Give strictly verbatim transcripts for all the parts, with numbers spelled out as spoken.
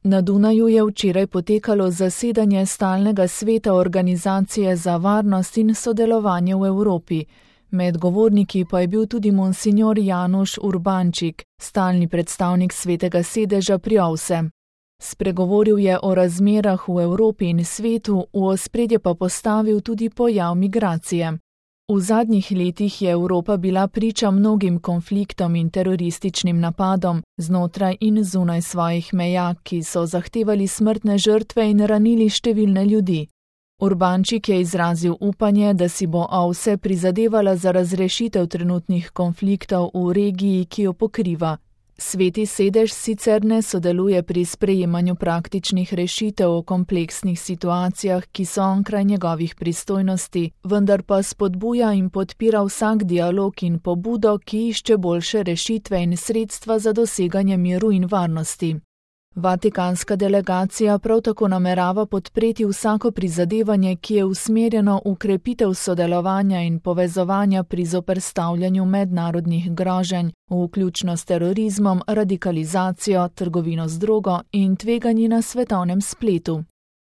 Na Dunaju je včeraj potekalo zasedanje stalnega sveta Organizacije za varnost in sodelovanje v Evropi. Med govorniki pa je bil tudi monsignor Januš Urbančik, stalni predstavnik svetega sedeža pri O V S E. Spregovoril je o razmerah v Evropi in svetu, v ospredje pa postavil tudi pojav migracije. V zadnjih letih je Evropa bila priča mnogim konfliktom in terorističnim napadom znotraj in zunaj svojih meja, ki so zahtevali smrtne žrtve in ranili številne ljudi. Urbančik je izrazil upanje, da si bo O V S E prizadevala za razrešitev trenutnih konfliktov v regiji, ki jo pokriva. Sveti sedež sicer ne sodeluje pri sprejemanju praktičnih rešitev o kompleksnih situacijah, ki so onkraj njegovih pristojnosti, vendar pa spodbuja in podpira vsak dialog in pobudo, ki išče boljše rešitve in sredstva za doseganje miru in varnosti. Vatikanska delegacija prav tako namerava podpreti vsako prizadevanje, ki je usmerjeno v krepitev sodelovanja in povezovanja pri zoperstavljanju mednarodnih groženj, vključno s terorizmom, radikalizacijo, trgovino z drogo in tveganji na svetovnem spletu.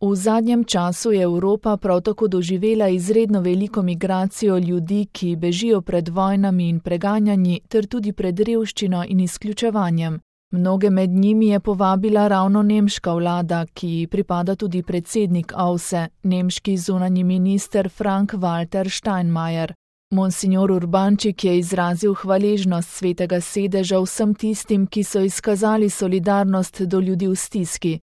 V zadnjem času je Evropa prav tako doživela izredno veliko migracijo ljudi, ki bežijo pred vojnami in preganjanji ter tudi pred revščino in izključevanjem. Mnoge med njimi je povabila ravno nemška vlada, ki ji pripada tudi predsednik O V S E, nemški zunanji minister Frank-Walter Steinmeier. Monsignor Urbančik je izrazil hvaležnost svetega sedeža vsem tistim, ki so izkazali solidarnost do ljudi v stiski.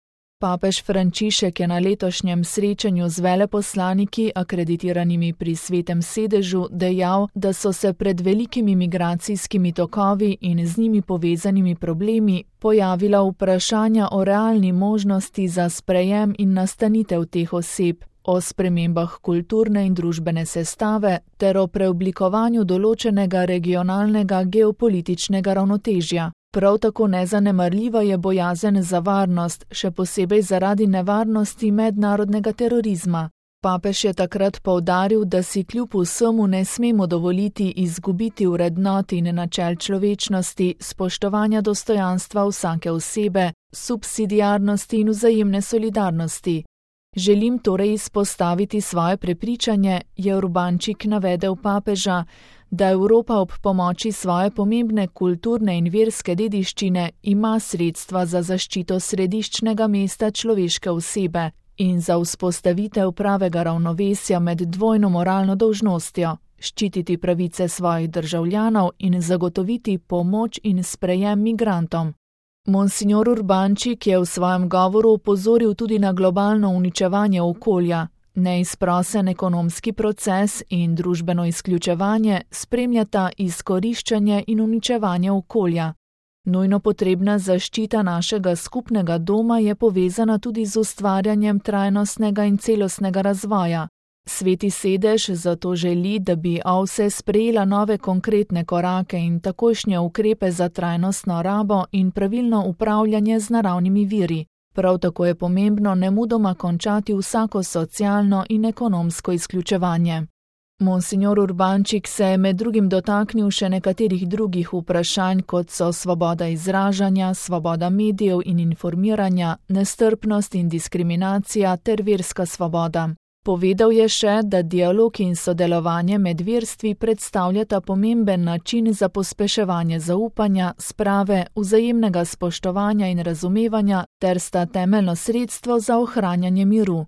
Papež Frančišek je na letošnjem srečanju z veleposlaniki, akreditiranimi pri svetem sedežu, dejal, da so se pred velikimi migracijskimi tokovi in z njimi povezanimi problemi pojavila vprašanja o realni možnosti za sprejem in nastanitev teh oseb, o spremembah kulturne in družbene sestave ter o preoblikovanju določenega regionalnega geopolitičnega ravnotežja. Prav tako nezanemarljiva je bojazen za varnost, še posebej zaradi nevarnosti mednarodnega terorizma. Papež je takrat poudaril, da si kljub vsemu ne smemo dovoliti izgubiti vrednot in načel človečnosti, spoštovanja dostojanstva vsake osebe, subsidiarnosti in vzajemne solidarnosti. Želim torej izpostaviti svoje prepričanje, je Urbančik navedel papeža, da Evropa ob pomoči svoje pomembne kulturne in verske dediščine ima sredstva za zaščito središčnega mesta človeške osebe in za vzpostavitev pravega ravnovesja med dvojno moralno dolžnostjo, ščititi pravice svojih državljanov in zagotoviti pomoč in sprejem migrantom. Monsignor Urbančik je v svojem govoru opozoril tudi na globalno uničevanje okolja. Neizprosen ekonomski proces in družbeno izključevanje spremljata izkoriščanje in uničevanje okolja. Nujno potrebna zaščita našega skupnega doma je povezana tudi z ustvarjanjem trajnostnega in celostnega razvoja. Sveti sedež zato želi, da bi O V S E sprejela nove konkretne korake in takojšnje ukrepe za trajnostno rabo in pravilno upravljanje z naravnimi viri. Prav tako je pomembno nemudoma končati vsako socialno in ekonomsko izključevanje. Monsignor Urbančik se je med drugim dotaknil še nekaterih drugih vprašanj, kot so svoboda izražanja, svoboda medijev in informiranja, nestrpnost in diskriminacija ter verska svoboda. Povedal je še, da dialog in sodelovanje med verstvi predstavljata pomemben način za pospeševanje zaupanja, sprave, vzajemnega spoštovanja in razumevanja ter sta temeljno sredstvo za ohranjanje miru.